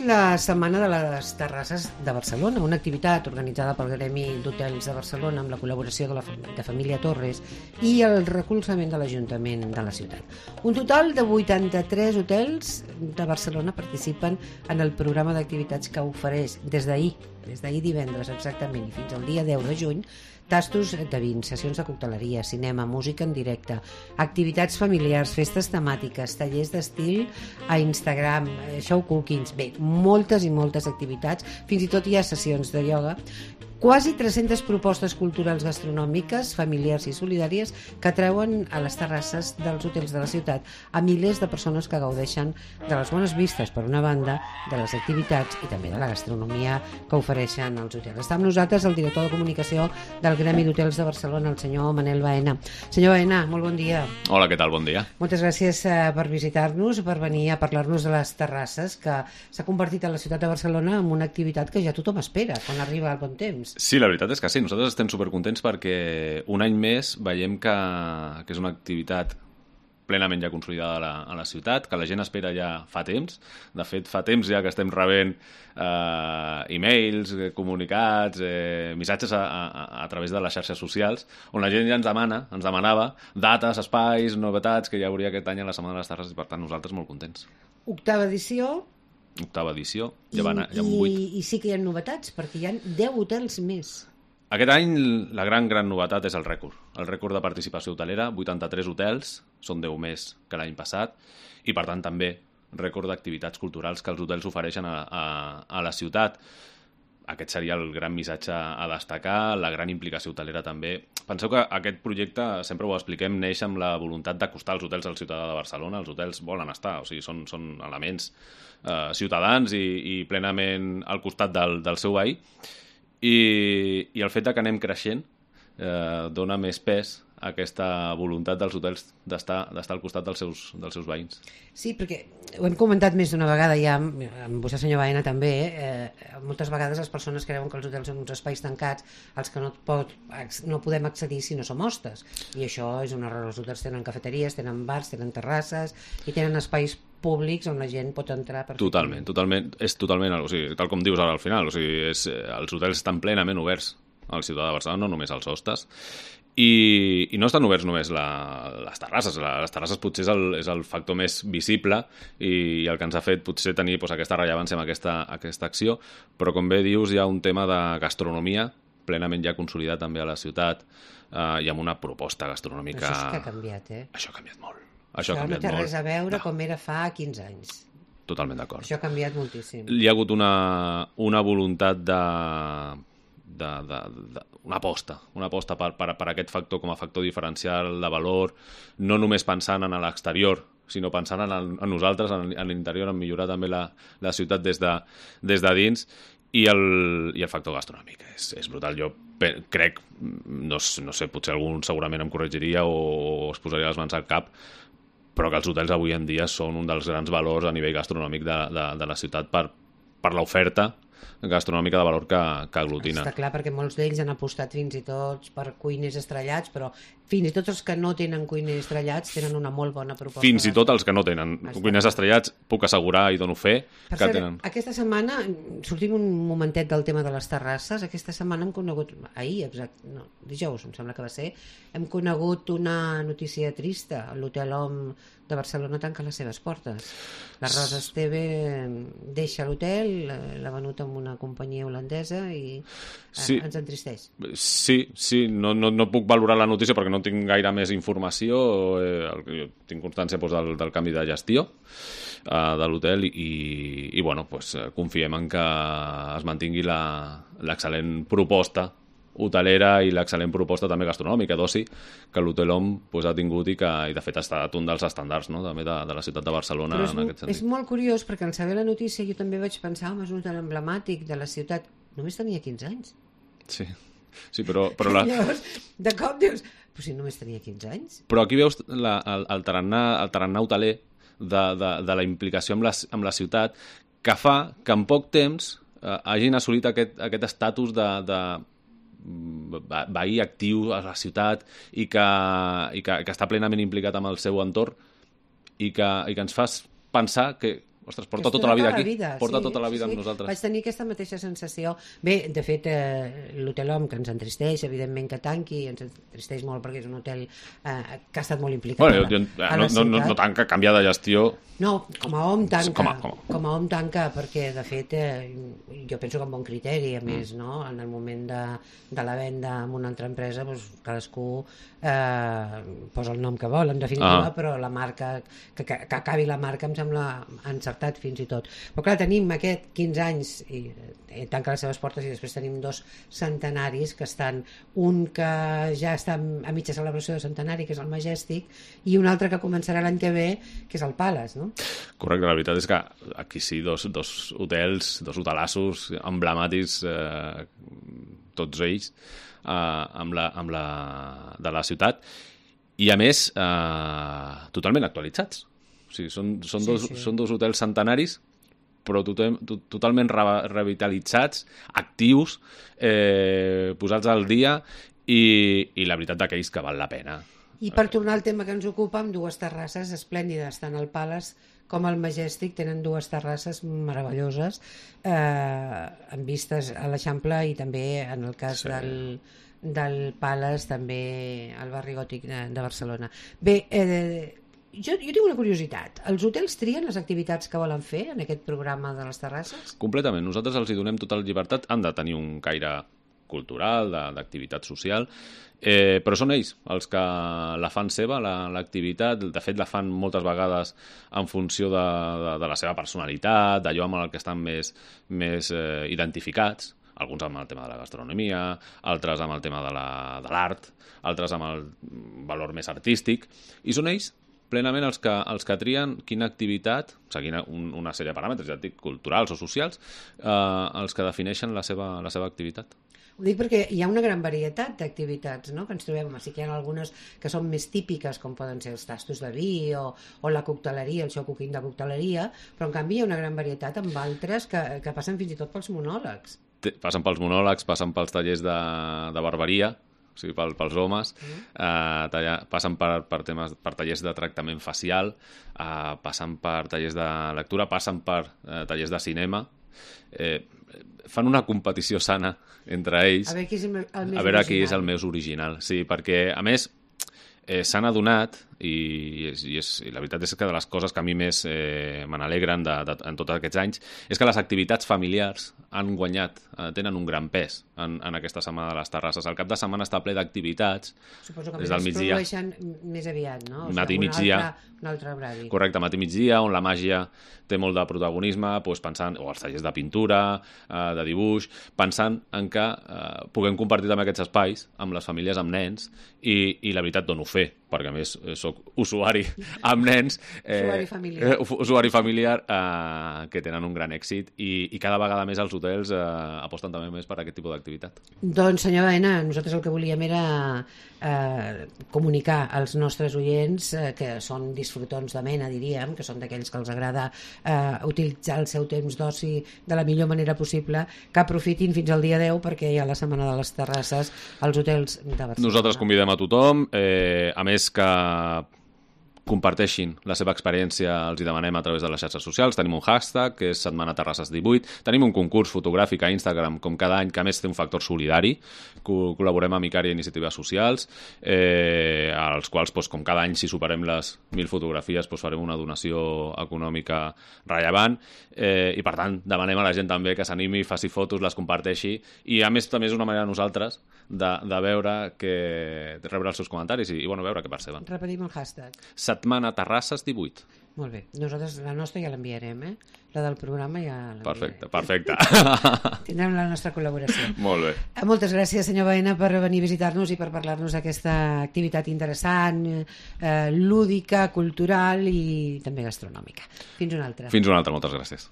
començat la Setmana de les Terrasses de Barcelona, una activitat organitzada pel Gremi d'Hotels de Barcelona amb la col·laboració de Família Torres i el recolzament de l'Ajuntament de la ciutat. Un total de 83 hotels de Barcelona participen en el programa d'activitats que ofereix des d'ahir divendres exactament i fins al dia 10 de juny, tastos de vins, sessions de cocteleria, cinema, música en directe, activitats familiars, festes temàtiques, tallers d'estil a Instagram, show cookings, bé, moltes i moltes activitats, fins i tot hi ha sessions de ioga, quasi 300 propostes culturals gastronòmiques, familiars i solidàries que treuen a les terrasses dels hotels de la ciutat a milers de persones que gaudeixen de les bones vistes, per una banda, de les activitats i també de la gastronomia que ofereixen els hotels. Està amb nosaltres el director de comunicació del Gremi d'Hotels de Barcelona, el senyor Manel Baena. Senyor Baena, molt bon dia. Hola, què tal? Bon dia. Moltes gràcies per visitar-nos, per venir a parlar-nos de les terrasses, que s'ha convertit a la ciutat de Barcelona en una activitat que ja tothom espera quan arriba el bon temps. Sí, la veritat és que sí. Nosaltres estem supercontents perquè un any més veiem que és una activitat plenament ja consolidada a la ciutat, que la gent espera ja fa temps. De fet, fa temps ja que estem rebent e-mails, comunicats, missatges a través de les xarxes socials, on la gent ja ens demanava dates, espais, novetats que hi hauria aquest any a la Setmana de les Terrasses i, per tant, nosaltres molt contents. Octava edició, ja van 8. I sí que hi ha novetats, perquè hi ha 10 hotels més. Aquest any la gran novetat és el rècord de participació hotelera, 83 hotels, són 10 més que l'any passat, i per tant també rècord d'activitats culturals que els hotels ofereixen a la ciutat. Aquest seria el gran missatge a destacar, la gran implicació hotelera també. Penseu que aquest projecte, sempre ho expliquem, neix amb la voluntat d'acostar els hotels al ciutadà de Barcelona. Els hotels volen estar, o sigui, són elements ciutadans i plenament al costat del seu veí. I el fet que anem creixent dona més pes a aquesta voluntat dels hotels d'estar al costat dels seus veïns. Sí, perquè ho hem comentat més d'una vegada ja amb vostè, senyor Baena, també. Moltes vegades les persones creuen que els hotels són uns espais tancats als que no podem accedir si no som hostes. I això és un error. Els hotels tenen cafeteries, tenen bars, tenen terrasses i tenen espais públics on la gent pot entrar perfectament. Totalment. És totalment, o sigui, tal com dius ara al final, o sigui, els hotels estan plenament oberts al ciutadà de Barcelona, no només als hostes. I no estan oberts només les terrasses. Les terrasses potser és el factor més visible i el que ens ha fet potser tenir aquesta rellevància amb aquesta acció, però com bé dius hi ha un tema de gastronomia plenament ja consolidat també a la ciutat i amb una proposta gastronòmica... Això sí que ha canviat, Això ha canviat molt. Això no té res a veure com era fa 15 anys. Totalment d'acord. Això ha canviat moltíssim. Hi ha hagut una voluntat una aposta per aquest factor com a factor diferencial de valor, no només pensant en l'exterior, sinó pensant en nosaltres, en l'interior, en millorar també la ciutat des de dins, i el factor gastronòmic és brutal. Jo crec, no sé, potser algun segurament em corregiria o es posaria les mans al cap, però que els hotels avui en dia són un dels grans valors a nivell gastronòmic de la ciutat per l'oferta gastronòmica de valor que aglutina. Està clar, perquè molts d'ells han apostat fins i tot per cuiners estrellats, però fins i tot els que no tenen cuiners estrellats tenen una molt bona proposta. Fins i tot els que no tenen cuiners estrellats, puc assegurar i dono fe que tenen. Aquesta setmana, sortim un momentet del tema de les terrasses, aquesta setmana hem conegut, dijous em sembla que va ser, hem conegut una notícia trista. L'Hotel Hom de Barcelona tanca les seves portes. La Rosa Esteve deixa l'hotel, l'ha venut amb una companyia holandesa i ens entristeix. Sí, no puc valorar la notícia perquè no tinc gaire més informació. Jo tinc constància del canvi de gestió de l'hotel i confiem en que es mantingui l'excel·lent proposta hotelera i l'excel·lent proposta també gastronòmica d'oci que l'Hotel Hom ha tingut i de fet ha estat un dels estàndards també de la ciutat de Barcelona. Però en aquest sentit. És molt curiós perquè al saber la notícia jo també vaig pensar és un hotel emblemàtic de la ciutat, només tenia 15 anys. Sí, però llavors, de cop dius, però si només tenia 15 anys. Però aquí veus el tarannà hoteler de la implicació amb la ciutat que fa que en poc temps hagin assolit aquest estatus de veí actiu a la ciutat i que està plenament implicat amb el seu entorn i que ens fa pensar que ostres, porta tota la vida aquí, porta sí, tota la vida sí. amb nosaltres. Vaig tenir aquesta mateixa sensació. Bé, de fet, l'Hotel Hom, que ens entristeix, evidentment que tanqui, ens entristeix molt perquè és un hotel que ha estat molt implicat a la ciutat. No tanca, canvia de gestió. No, com a Hom tanca. Com a Hom tanca, perquè, de fet, jo penso que amb bon criteri, a més, no? En el moment de la venda amb una altra empresa, doncs, cadascú posa el nom que vol, en definitiva, però la marca, que acabi la marca em sembla encertat fins i tot. Però clar, tenim aquest 15 anys i tanca les seves portes, i després tenim 2 centenaris que estan, un que ja està a mitja celebració de centenari, que és el Majestic, i un altre que començarà l'any que ve, que és el Palace, no? Correcte, la veritat és que aquí sí, dos hotels, 2 hotelassos emblemàtics, tots ells, de la ciutat, i a més totalment actualitzats. O sigui, són dos hotels centenaris, però totalment revitalitzats, actius, posats al dia, i la veritat d'aquells que val la pena. I per tornar al tema que ens ocupa, amb 2 terrasses esplèndides, tant el Palace com el Majestic tenen 2 terrasses meravelloses, amb vistes a l'Eixample, i també en el cas del Palace també al barri gòtic de Barcelona. Bé, jo tinc una curiositat. Els hotels trien les activitats que volen fer en aquest programa de les terrasses? Completament. Nosaltres els hi donem tota la llibertat. Han de tenir un caire cultural, d'activitat social, però són ells els que la fan seva, l'activitat. De fet, la fan moltes vegades en funció de la seva personalitat, d'allò amb el que estan més identificats, alguns amb el tema de la gastronomia, altres amb el tema de l'art, altres amb el valor més artístic, i són ells plenament els que trien quina activitat, seguint una sèrie de paràmetres, ja et dic, culturals o socials, els que defineixen la seva activitat. Ho dic perquè hi ha una gran varietat d'activitats, no?, que ens trobem. Sí que hi ha algunes que són més típiques, com poden ser els tastos de vi o la cocteleria, el show cooking de cocteleria, però en canvi hi ha una gran varietat amb altres que passen fins i tot pels monòlegs. Passen pels monòlegs, passen pels tallers de barberia, o sigui, pels homes, passen per tallers de tractament facial, passen per tallers de lectura, passen per tallers de cinema, fan una competició sana entre ells, a veure qui és el més original. Sí, perquè, a més, s'han adonat, i la veritat és que de les coses que a mi més me n'alegren en tots aquests anys, és que les activitats familiars han guanyat, tenen un gran pes en aquesta setmana de les terrasses. El cap de setmana està ple d'activitats. Suposo que es produeixen més aviat, no? Matí i migdia. Un altre horari. Correcte, matí i migdia, on la màgia té molt de protagonisme, pensant, o els tallers de pintura, de dibuix, pensant en que puguem compartir també aquests espais amb les famílies, amb nens, i la veritat dono fe, perquè a més soc usuari amb nens, usuari familiar, que tenen un gran èxit, i cada vegada més els hotels aposten també més per aquest tipus d'activitat. Doncs, senyor Baena, nosaltres el que volíem era comunicar als nostres oients, que són disfrutons de mena, diríem, que són d'aquells que els agrada utilitzar el seu temps d'oci de la millor manera possible, que aprofitin fins al dia 10, perquè hi ha la setmana de les terrasses als hotels de Barcelona. Nosaltres convidem a tothom, a més que comparteixin la seva experiència, els hi demanem a través de les xarxes socials. Tenim un hashtag, que és Setmana Terrasses 18. Tenim un concurs fotogràfic a Instagram, com cada any, que a més té un factor solidari. Col·laborem amb Icària Iniciatives Socials, als quals, com cada any, si superem les 1.000 fotografies, farem una donació econòmica rellevant. I, per tant, demanem a la gent també que s'animi, faci fotos, les comparteixi. I, a més, també és una manera de nosaltres de veure rebre els seus comentaris i veure què perceben. Repetim el hashtag. Setmana Terrasses 18. Molt bé. Nosaltres la nostra ja l'enviarem, La del programa ja l'enviarem. Perfecte. Tindrem la nostra col·laboració. Molt bé. Moltes gràcies, senyor Baena, per venir a visitar-nos i per parlar-nos d'aquesta activitat interessant, lúdica, cultural i també gastronòmica. Fins una altra. Moltes gràcies.